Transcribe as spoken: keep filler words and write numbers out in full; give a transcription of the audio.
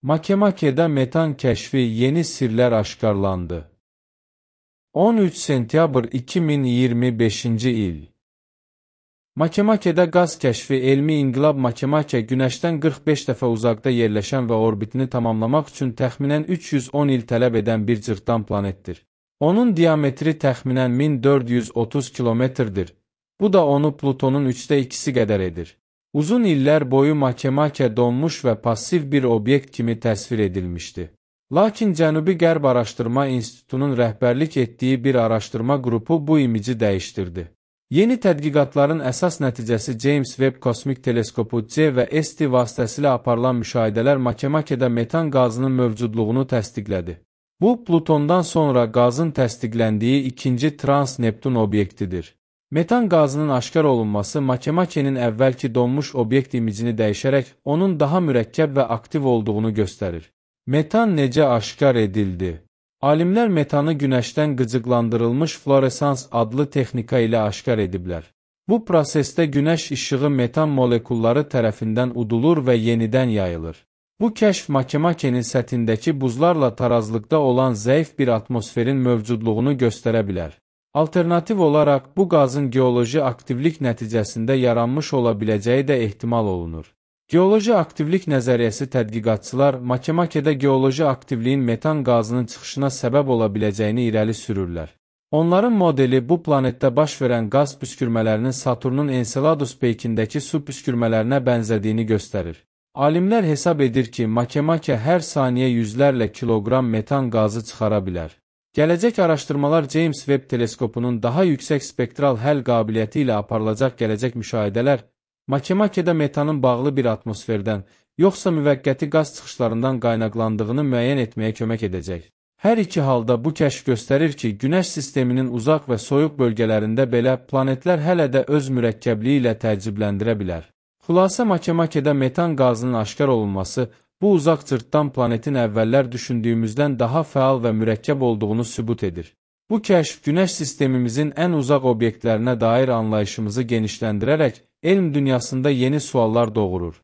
Makemake'de metan keşfi yeni sirler aşkarlandı. on üç sentyabr iki min iyirmi beşinci il. Makemake'de gaz keşfi elmi inqilab Makemake Günəşdən qırx beş dəfə uzaqda yerləşən və orbitini tamamlamaq üçün təxminən üç yüz on il tələb edən bir cırtdan planetdir. Onun diametri təxminən min dörd yüz otuz kilometrdir. Bu da onu Plutonun üçdə ikisi qədər edir. Uzun illər boyu Makemake donmuş və passiv bir obyekt kimi təsvir edilmişdi. Lakin Cənubi-Qərb Araşdırma İnstitutunun rəhbərlik etdiyi bir araşdırma qrupu bu imici dəyişdirdi. Yeni tədqiqatların əsas nəticəsi James Webb Kosmik Teleskopu C və S T vasitəsilə aparılan müşahidələr Makemake'də metan qazının mövcudluğunu təsdiqlədi. Bu, Plutondan sonra qazın təsdiqləndiyi ikinci Trans-Neptun obyektidir. Metan qazının aşkar olunması Makemake'nin əvvəlki donmuş obyekt imicini dəyişərək onun daha mürəkkəb və aktiv olduğunu göstərir. Metan necə aşkar edildi? Alimlər metanı Günəşdən qıcıqlandırılmış fluoresans adlı texnika ilə aşkar ediblər. Bu prosesdə Günəş işığı metan molekulları tərəfindən udulur və yenidən yayılır. Bu kəşf Makemake'nin səthindəki buzlarla tarazlıqda olan zəif bir atmosferin mövcudluğunu göstərə bilər. Alternativ olaraq bu qazın geoloji aktivlik nəticəsində yaranmış ola biləcəyi də ehtimal olunur. Geoloji aktivlik nəzəriyyəsi tədqiqatçılar Makemake'də geoloji aktivliyin metan qazının çıxışına səbəb ola biləcəyini irəli sürürlər. Onların modeli bu planetdə baş verən qaz püskürmələrinin Saturnun Enceladus peykindəki su püskürmələrinə bənzədiyini göstərir. Alimlər hesab edir ki, Makemake hər saniyə yüzlərlə kiloqram metan qazı çıxara bilər. Gələcək araşdırmalar James Webb teleskopunun daha yüksək spektral həll qabiliyyəti ilə aparılacaq gələcək müşahidələr, Makemake'də metanın bağlı bir atmosferdən, yoxsa müvəqqəti qaz çıxışlarından qaynaqlandığını müəyyən etməyə kömək edəcək. Hər iki halda bu kəşf göstərir ki, Günəş sisteminin uzaq və soyuq bölgələrində belə planetlər hələ də öz mürəkkəbliyi ilə təəccübləndirə bilər. Xülasə Makemake'də metan qazının aşkar olunması, bu uzaq cırtdan planetin əvvəllər düşündüyümüzdən daha fəal və mürəkkəb olduğunu sübut edir. Bu kəşf Günəş sistemimizin ən uzaq obyektlərinə dair anlayışımızı genişləndirərək elm dünyasında yeni suallar doğurur.